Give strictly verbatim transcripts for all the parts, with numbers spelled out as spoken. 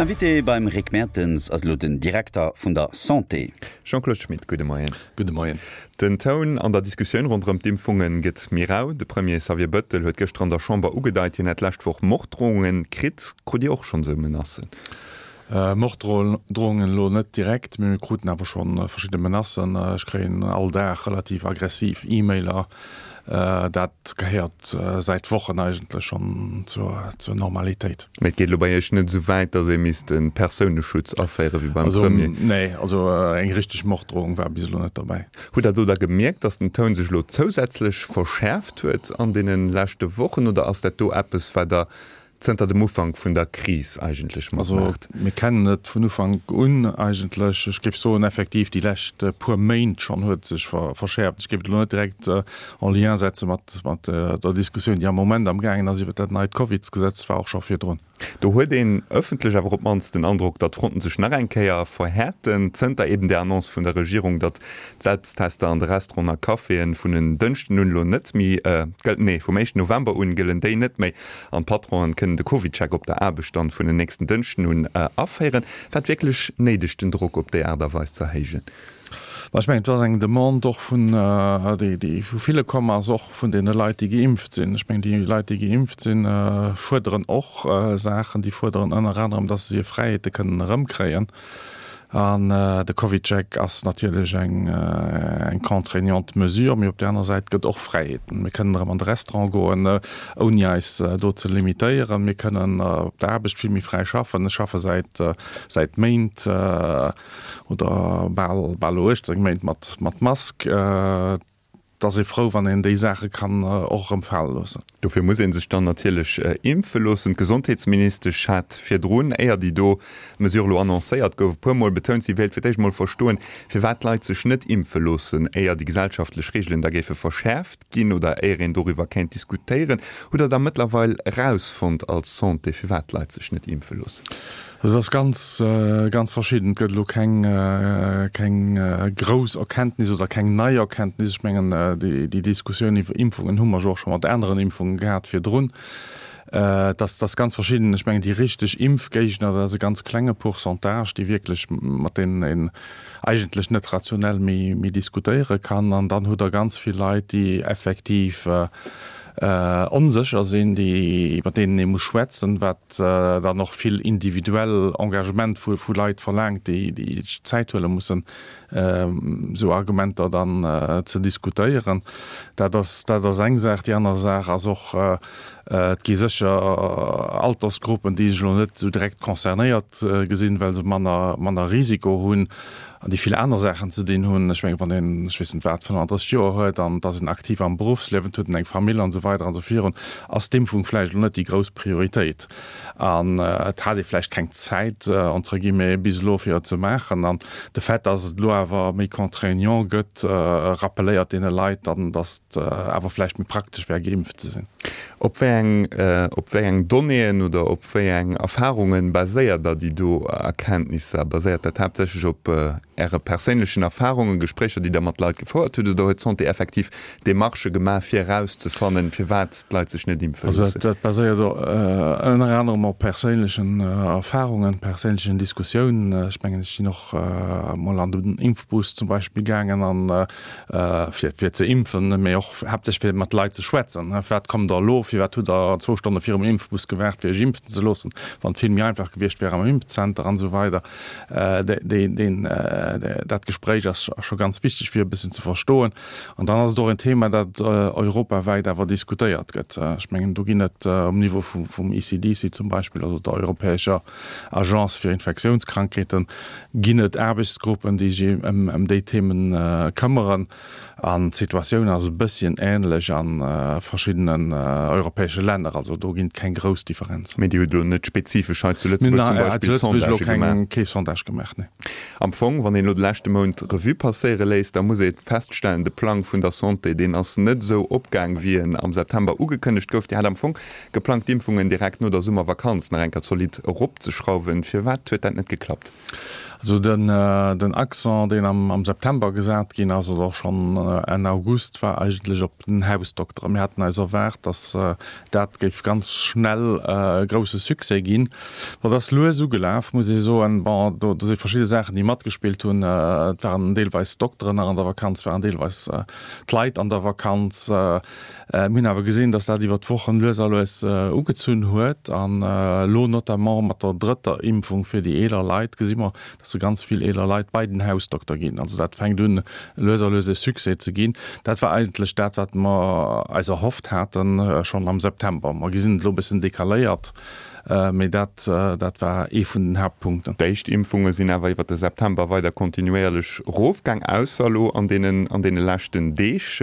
Invité beim Rick Mertens ass elo den Direkter vun der Santé. Jean-Claude Schmit, gudde Moien. Gudde Moien. Den Toun an der Diskussioun ronderëm d'Impfunge gëtt méi rau. De Premier Xavier Bëttel huet gëschter an der Chamber ugedeit, hien hätt d'lescht Woch Morddrohunge kritt. Krut Dir och schonn esou Menacen? Morddrohungen elo net direkt, mee mir kruten awer scho verschidde Menacen. Ech kréien all Dag relativ aggressiv E-Mailer. Dat gehéiert säit Wochen eigentlech schonn zur Normalitéit. Mee et geet elo bei Iech net esou wäit, datt ee misst e Persouneschutz aféiere wéi beim Premier? Nee, also eng richteg Morddrohung war bis elo net dobäi. Hutt Der do da gemierkt, datt den Toun sech elo zousätzlech verschäerft huet an deene leschte Wochen oder ass dat do eppes, wat Der zënter dem Ufank vun der Kris eigentlech matmaacht? Also mir kennen et vun Ufank un eigentlech. Ech géif soen, effektiv déi lescht puer Méint schonn huet et sech verschäerft. Ech géif et elo net direkt en lien setze mat der Diskussioun, déi am Moment amgaangen ass iwwert dat neit Covidsgesetz. Et war och scho virdrun. Do huet een ëffentlech awer op d'mannst den Androck, datt d'Fronten sech nach eng Kéier verhäerten, zënter eben där Annonce vun der Regierung, datt d'Selbsttester an de Restauranten a Caféen vun en Dënschden un elo net méi gëllen, nee, vum éischten November un gëllen déi net méi an d'Patronen kënnen de CovidCheck op der Aarbecht dann vun en nächsten Dënschden un aféieren. War et wierklech néideg, den Drock op déi Aart a Weis ze erhéijen? Mä ech mengen, et ass eng Demande och vun, déi, déi vu ville komm ass, och vun deene Leit, déi geimpft sinn. Ech mengen, déi Leit, déi geimpft sinn, fuerderen och Saachen. Déi fuerderen ënner anerem, datt se hir Fräiheete kënnen erëmkréien. An de CovidCheck ass natierlech eng, eng contraignante Mesure, mee op där aner Säit gëtt och Fräiheeten. Mir kënnen erëm an de Restaurant goen, ouni eis do ze limitéieren. Mir kënnen op der Aarbecht vill méi fräi schaffen. Ech schaffe säit, säit Méint, oder bal bal elo uechtzéng Méint mat mat Mask. Et ass ee frou, wann een déi Saache kann och erëm fale loossen. Dofir muss ee sech dann natierlech impfe loossen. D'Gesondheetsministesch hat virdrun, éier déi do Mesure elo annoncéiert gouf, e puer Mol betount, si wéilt fir d'éischt mol verstoen, firwat d'Leit sech net impfe loossen, éier déi gesellschaftlech Reegelen da géife verschäerft ginn oder éier een doriwwer kéint diskutéieren. Hutt Der da mëttlerweil erausfonnt als Santé, firwat d'Leit sech net impfe loossen? Also et ass ganz, ganz verschidden. Et gëtt elo keng, keng grouss Erkenntnis oder keng nei Erkenntnis. Ech mengen, déi, déi Diskussioun iwwer Impfungen hu mer jo och scho mat aneren Impfungen gehat virdrun. Et ass, et ass ganz verschidden. Ech mengen, déi richteg Impfgéigner, dat ass e ganz klenge Pourcentage, déi wierklech, mat deenen een eigentlech net rationell méi, méi diskutéiere kann. An dann hutt Der ganz vill Leit, déi effektiv onsécher sinn, déi, mat deenen ee muss schwätzen, wat dann och vill individuell Engagement vu vu Leit verlaangt, déi déi sech Zäit huele mussen, esou Argumenter dann ze diskutéieren. Dat ass dat ass eng Saach. Déi aner Saach ass och, et gi sécher Altersgruppen, déi sech elo net esou direkt concernéiert gesinn, well se manner manner Risiko hunn. An déi vill aner Saachen ze dinn hunn. Ech mengen, wann een, ech weess net wat, fënnanddrësseg Joer huet an et ass een aktiv am Beruffsliewen, et huet en eng Famill an esou weider an esou virun, ass d'Impfung vläicht elo net déi grouss Prioritéit. An et hat ee vläicht keng Zäit, entre guillemets, bis elo fir et ze maachen. An de Fait, dass et elo awer méi contraignant gëtt, rappeléiert deene Leit dann, dass et awer vläicht méi praktesch wär, geimpft ze sinn. Op wéi eng, op wéi eng Donnéeën oder op wéi eng Erfarunge baséiert Der déi do Erkenntnisser? Baséiert dat haaptsächlech op Äre perséinlechen Erfarungen, Gespréicher, déi Der mat Leit gefouert hutt, oder huet d'Santé effektiv Demarchë gemaach, fir erauszefannen, firwat d'Leit sech net impfe Also loossen? dat baséiert ënner anerem op perséinlechen Erfarungen, perséinlechen Diskussiounen. Ech mengen, ech sinn och emol an den Impfbus zum Beispill gaangen an fir fir ze impfen, mee och haaptsächlech fir mat Leit ze schwätzen. Firwat kommt Der elo? Firwat hutt Der zwou Stonne virum Impfbus gewaart, fir Iech impfen ze loossen, wann et vill méi einfach gewiescht wär am Impfzenter an esou weider. Deen, dat Gespréich ass scho ganz wichteg, fir e bëssen ze verstoen. An dann ass et och en Thema, dat europawäit awer diskutéiert gëtt. Ech mengen, do ginn et um Niveau vum E C D C zum Beispill, also der europäescher Agence fir Infektiounskrankheeten, ginn et Aarbechtsgruppen, déi sech ëm déi Themen këmmeren. An d'Situatioun ass e bësschen änlech a verschiddenen europäesche Länner. Also do ginn et keng grouss Differenzen. Mee Dir hutt elo net spezifesch hei zu Lëtzebuerg zum Beispill Sondagë gemaach? Kee Sondage gemaach, nee. Am Fong, wann een elo de leschte Mount Revue passéiere léisst, da muss ee feststellen, de Plang vun der Santé, deen ass net esou opgaang, wéi en am September ugekënnegt gouf. Dir hat am Fong geplangt, d'Impfungen direkt no der Summervakanz nach eng Kéier zolidd eropzeschrauwen. Firwat huet dat net geklappt? Also den, den Accent, deen am, am September gesat ginn ass, oder och schonn Enn August war eigentlech op den Hausdokter. Mir haten eis erwaart, dass dat géif ganz schnell e grouse Succès ginn. Bon, dat ass lues ugelaf, muss ee soen. Bon, do si verschidde Saachen, déi matgespillt hunn. Et waren deelweis d'Dokteren nach an der Vakanz, waren deelweis d'Leit an der Vakanz. Mir hunn awer gesinn, dass dat iwwer d'Wochen lues a lues ugezunn huet. An elo notamment mat der drëtter Impfung fir déi eeler Leit gesi mer, dass se ganz vill eeler Leit bei den Hausdokter ginn. Also dat fänkt un lues a lues e Succès ze ginn. Dat war eigentlech dat, wat mer eis erhofft haten schonn am September. Mer gesinn et elo e bëssen decaléiert, mee dat, dat war ee vun den Haaptpunkten. D'éischt Impfunge sinn awer iwwer de September weider kontinuéierlech erofgaang, ausser elo an deenen, an deene leschten Deeg.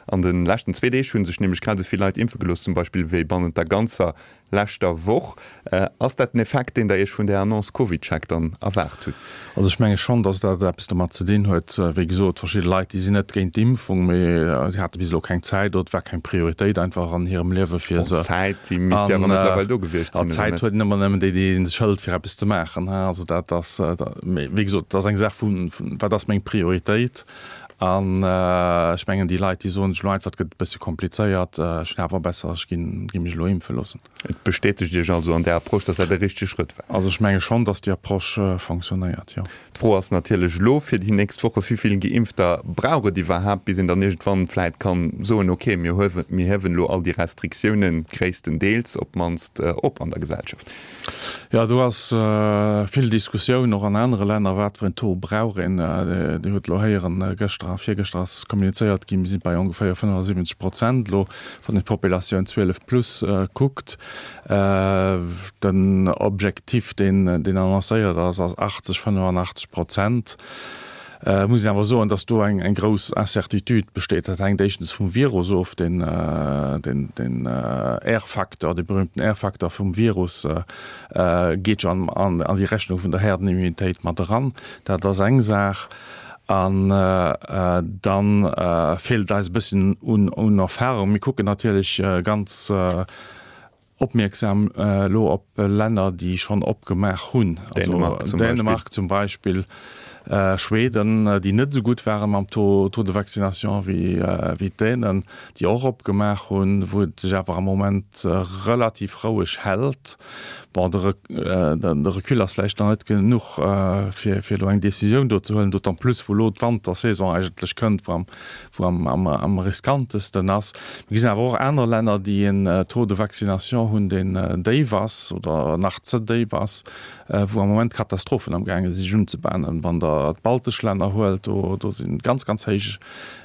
An de leschten zwee Deeg hu sech nämlech grad esou vill Leit impfe gelooss zum Beispill wéi bannent der ganzer leschter Woch. Ass dat den Effekt, deen Der Iech vun där Annonce CovidCheck dann erwaart hutt? Also ech menge schonn, datt dat eppes domat ze dinn huet. Wéi gesot, verschidde Leit, déi sinn net géint d'Impfung, mee si hate bis elo keng Zäit oder et war keng Prioritéit einfach an hirem Liewe fir se. Bon, d'Zäit, déi misst jo awer mëttlerweil do gewiescht sinn, oder net? Zäit huet ëmmer nëmmen déi, déi ee sech hëlt, fir eppes ze maachen. Also dat ass, mee wéi gesot, et ass eng Saach vu wat ass meng Prioritéit. An ech mengen, déi Leit, déi soen sech elo einfach, et gëtt e bësse komplizéiert, ech hunn awer besser, ech ginn mech elo impfe loossen. Et bestätegt Iech also an där Approche, datt dat e richtege Schrëtt war? Also ech menge schonn, datt déi Approche fonctionnéiert, jo. D'Fro ass natierlech elo fir déi nächst Woche, Wéi vill Geimpfter brauch et iwwerhaapt, bis een dann iergendwann vläit kann soen, okay, mir huewen, mir hiewen elo all déi Restriktiounen gréisstendeels op d'mannst op an der Gesellschaft? Jo, do ass vill Diskussioun, och an anere Länner, wat fir en Taux brauch een. Dir hutt elo héieren, gëschter a virgëschter ass kommunizéiert ginn, mir si bei ongeféier fënnefasiwwenzeg Prozent elo, wann een d'Populatioun zwielef plus kuckt. Den Objektif, deen annoncéiert ass, ass achtzeg, fënnefanachteg Prozent. Et muss een awer soen, datt do eng grouss Incertitude besteet. Dat hänkt éischtens vum Virus of, den R-Facteur, dee berühmten R-Facteur vum Virus geet jo an déi Rechnung vun der Herdenimmunitéit mat eran. Dat ass eng Saach. An da feelt et eis e bësschen un Erfahrung. Mir kucken natierlech ganz opmierksam elo op Länner, déi schonn opgemaach hunn, also Dänemark zum Beispill, Schweden, déi net esou gutt ware mam Taux de vaccination wéi d'Dänen, déi och opgemaach hunn, wou et sech awer am Moment relativ roueg hält. Bon, de Recul ass vläicht nach net genuch, fir elo eng Decisioun do ze huelen, d'autant plus wou elo d'Wantersaison eigentlech kënnt, wou am wou am am riskantesten ass. Mir gesinn awer och aner Länner, déi en Taux de vaccination hunn, deen déif ass oder nach ze déif ass, wou am Moment Katastrophen amgaange si sech unzebahnen. Wann Der d'baltesch Länner huelt, do do si ganz, ganz héich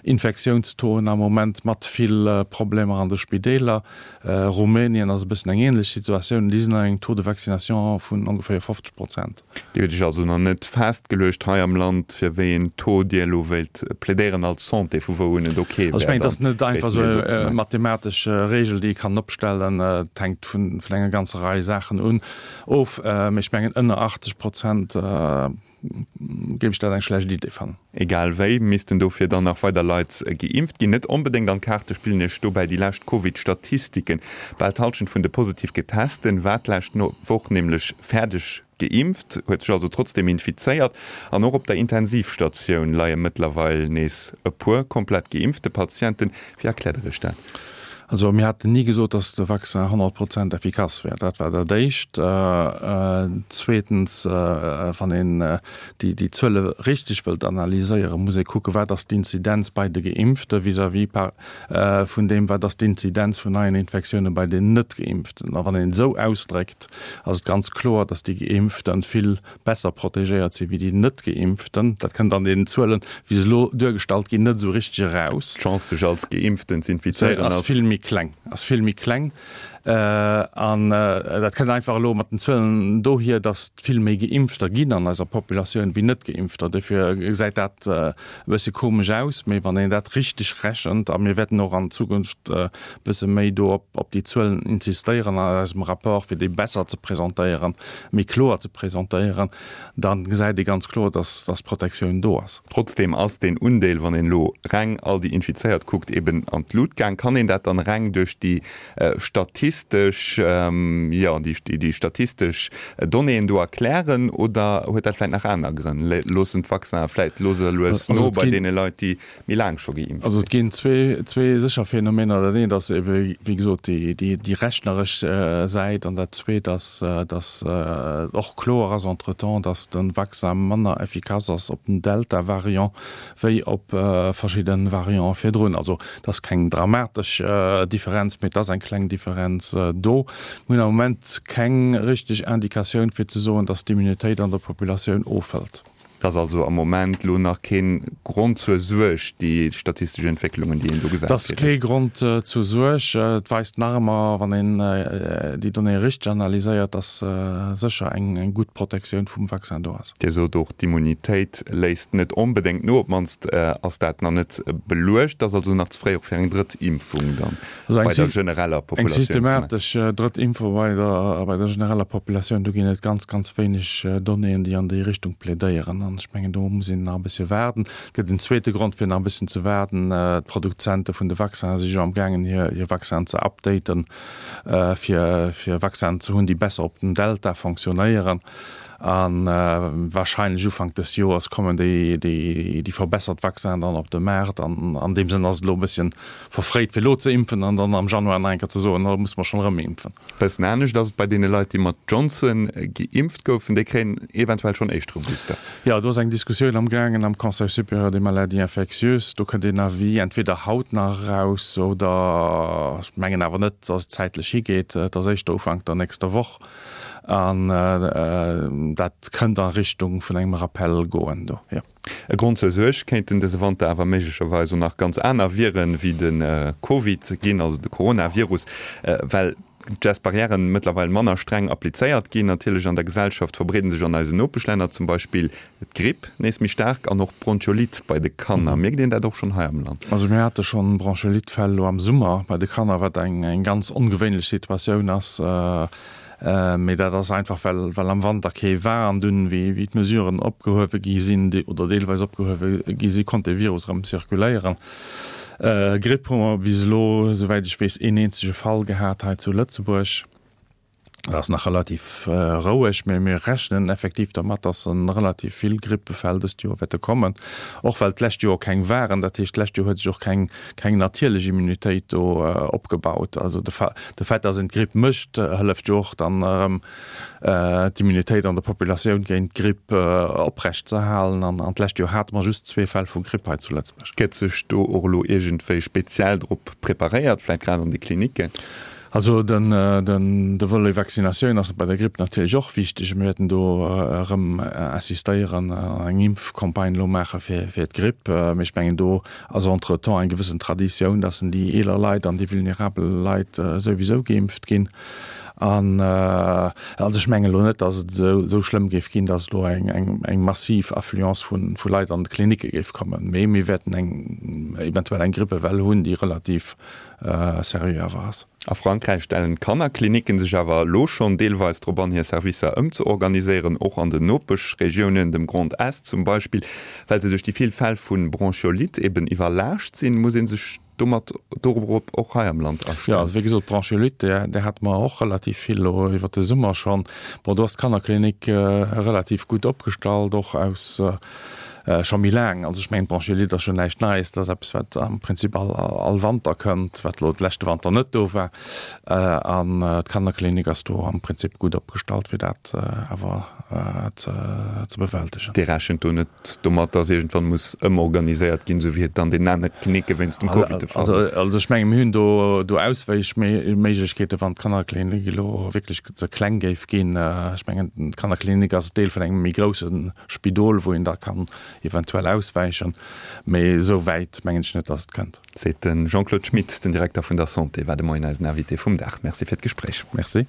Infektiounstauxen am Moment mat vill Problemer an de Spideeler. Rumänien ass e bëssen eng ähnlech Situatioun, déi sinn an engem Taux de vaccination vun ongeféier fofzeg Prozent. Dir hutt Iech also nach net festgeluecht hei am Land, fir wéi een Taux Dir elo wéilt plädéieren als Santé, vu wou un et ok Also ech wär, mengen, et dann ass net einfach esou gréisstendeels eng opzemaachen. mathematesch Regel, déi ee kann opstellen. Et hänkt vun enger ganzer Rei Saachen un of. Mee ech mengen, ënner achtzeg Prozent géif ech dat eng schlecht Idee fannen. Egal wéi, missten dofir dann nach weider Leit geimpft ginn. Net onbedéngt an d'Kaarte spillen Iech dobäi déi lescht Covid-Statistiken. Bal d'Hallschent vun de positiv Getesten war d'lescht Woch nämlech fäerdeg geimpft, huet sech also trotzdeem infizéiert. An och op der Intensivstatioun leie mëttlerweil nees e puer komplett geimpfte Patienten. Wéi erkläert Der Iech dat? Also mir haten ni gesot, datt de Vaccin honnert Prozent effikass wär. Dat war dat Éischt. Zweetens, wann een déi Zuele richteg wëllt analyséieren, muss ee kucken, wat ass d'Inzidenz bei de Geimpfte vis-à-vis vun deem, wat ass d'Inzidenz vun neien Infektioune bei den Net-Geimpften. A wann een et esou ausdréckt, ass et ganz kloer, datt déi Geimpfte vill besser protegéiert si wéi déi Net-Geimpften. Dat kënnt an deenen Zuelen, wéi se elo duergestallt ginn, net esou richteg eraus. D'Chance, sech als Geimpften z'infizéieren, ass vill méi kleng, ass vill méi kleng. An dat kënnt einfach elo mat den Zuelen dohier, datt et vill méi Geimpfter ginn an eiser Populatioun wéi Net-Geimpfter. Dofir gesäit dat e bësse komesch aus. Mee wann een dat richteg rechent, a mir wäerten och an Zukunft e bësse méi do op déi Zuelen insistéieren an eisem Rapport, fir déi besser ze presentéieren, méi kloer ze presentéieren, da gesäit ee ganz kloer, dass d'Protektioun do ass. Trotzdeem ass deen Undeel, wann een elo reng all déi Infizéiert kuckt, eben an d'Lut gaang. Kann een dat dann reng duerch déi statistesch, jo, déi statistesch Donnéeën do erklären oder huet dat vläicht nach aner Grënn? Loossen d'Vaccinen vläicht lues a lues no bei deene Leit, déi méi laang scho geimpft sinn? Also et ginn zwee, zwee sécher Phänomener. Dat eent ass ebe wéi gesot déi, déi, déi rechneresch Säit an dat zweet ass, datt och kloer ass entretemps, datt de Vaccin manner effikass ass op den Delta-Variant wéi op verschidde Variante virdrun. Also et ass keng dramatesch Differenz, mee et ass eng kleng Differenz do. Mir hunn am Moment keng richteg Indikatioun fir ze soen, datt d'Immunitéit an der Populatioun ofhëlt. Et ass also am Moment elo nach kee Grond zur Suerg, déi statistesch Entwécklungen, déi een do gesäit. Et ass kee Grond zur Suerg. Et weist nach ëmmer, wann een déi Donnéeë richteg analyséiert, datt sécher eng gutt Protektioun vum Vaccin do ass. Dir sot och, d'Immunitéit léisst net onbedéngt no, op d'mannst ass dat nach net beluecht. Et ass also nach ze fréi och fir eng drëtt Impfung dann bei der genereller Populatioun ze maachen. Eng systematesch drëtt Impfung bei der bei der genereller Populatioun, do ginn et ganz, ganz wéineg Donnéeën, déi an déi Richtung plädéieren. An ech mengen, do muss een nach e bëssche waarden. Et gëtt en zweete Grond, fir nach e bësschen ze waarden, D'Produzente vun de Vaccinen si jo amgaangen, hir hir Vaccinen ze updaten, fir fir Vaccinen ze hunn, déi besser op den Delta fonctionnéieren. A warscheinlech Ufank dës Joers kommen déi déi verbessert Vaccinen dann op de Maart. An an deem Sënn ass et elo e bësschen verfréit, fir elo ze impfen an dann am Januar nach eng Kéier ze soen, elo musse mer schonn erëm impfen. Bëssen anescht ass et bei deene Leit, déi mat Johnson geimpft goufen. Déi kréien eventuell schonn éischter e Booster. Jo, do ass eng Diskussioun amgaangen am Conseil supérieur des maladies infectieuses. Do kënnt een Avis entweder haut nach eraus oder, ech mengen awer net, datt et zäitlech higeet, et ass éischter Ufank der nächster Woch. An dat kënnt a Richtung vun engem Rappel goen do, jo. E Grond zur Suerg kéinten dëse Wanter awer méiglecherweis och nach ganz aner Viren wéi de Covid ginn, also de Coronavirus, well d'Gest-Barrièren mëttlerweil manner streng applizéiert ginn. Natierlech an der Gesellschaft verbreeden sech an eisen Nopeschlänner zum Beispill d'Gripp nees méi staark an och d'Bronchiolite bei de Kanner. Mierkt een dat och schonn hei am Land? Also mir hate schonn Bronchiolite-Fäll elo am Summer bei de Kanner, wat eng ganz ongewéinlech Situatioun ass. Mee dat ass einfach, well well am Wanter kee war an dunn, wéi wéi d'Mesuren opgehuewe gi sinn oder deelweis opgehuewe gi sinn, konnt dee Virus erëm zirkuléieren. Gripp hu mer bis elo, esouwäit ech weess, een eenzege Fall gehat hei zu Lëtzebuerg. Dat ass nach relativ roueg, mee mir rechnen effektiv dermat, dass relativ vill Grippefäll dëst Joer wäerte kommen, och well d'lescht Joer keng waren. Dat heescht, d'lescht Joer huet sech och keng keng natierlech Immunitéit do opgebaut. Also de de Fait, dass een d'Gripp mécht, hëlleft jo och dann erëm d'Immunitéit an der Populatioun géint d'Gripp oprecht ze halen. An an d'lescht Joer hate mer just zwee Fäll vu Gripp hei zu Lëtzebuerg. Gëtt sech do och elo iergendwéi speziell drop preparéiert, vläicht grad an de Klinicken? Also den de Volet Vaccinatioun ass bei der Gripp natierlech och wichteg. Mir wäerten do erëm insistéieren an eng Impfcampagne elo maache fir fir d'Gripp. Mee ech mengen do ass entretemps eng gewëssen Traditioun, dass déi eeler Leit an déi vulnerabel Leit souwisou geimpft ginn. An also ech mengen elo net, dass et esou esou schlëmm géif ginn, dass elo eng eng eng massiv Affluence vu vu Leit an d'Klinicke géif kommen. Mee mir wäerten eng eventuell eng Grippewell hunn, déi relativ seriö awer ass. A Frankräich stellen d'Kannerklinicken sech awer elo schonn deelweis drop an, hir Servicer ëmzeorganiséieren, och an den Nopeschregiounen, dem Grand Est zum Beispill. Well se duerch déi vill Fäll vu Bronchiolite eben iwwerlaascht sinn, muss ee sech domat dorop och hei am Land Jo, astellen. also wéi gesot, d'Bronchiolite, där, där hate mer och relativ vill elo iwwert de Summer schonn. Bon, do ass d'Kannerklinik relativ gutt opgestallt, och aus Scho méi laang. Also ech mengen, d'Bronchiolite ass jo näischt Neies. Dat ass eppes, wat am Prinzip all all Wanter kënnt, wat elo de leschte Wanter net do war. An d'Kannerklinik ass do am Prinzip gutt opgestallt, fir dat awer ze ze bewältegen. Dir rechent do net domat, datt iergendwann muss ëmorganiséiert ginn, esou wéi et an deenen anere Klinicke wéinst dem Covid de Fall war? Also ech menge mir hunn do do Auswäichméiglechkeeten, wann d'Kannerklinik elo wierklech ze kleng géif ginn. Ech mengen, d'Kannerklinik ass Deel vun engem méi grousse Spidol, wou een da kann eventuell auswäichen, mee esou wäit mengen ech net, datt et kënnt. Seet de Jean-Claude Schmit, den Direkter vun der Santé, war de Moien eisen Invité vum Dag. Merci fir d'Gespréich. Merci.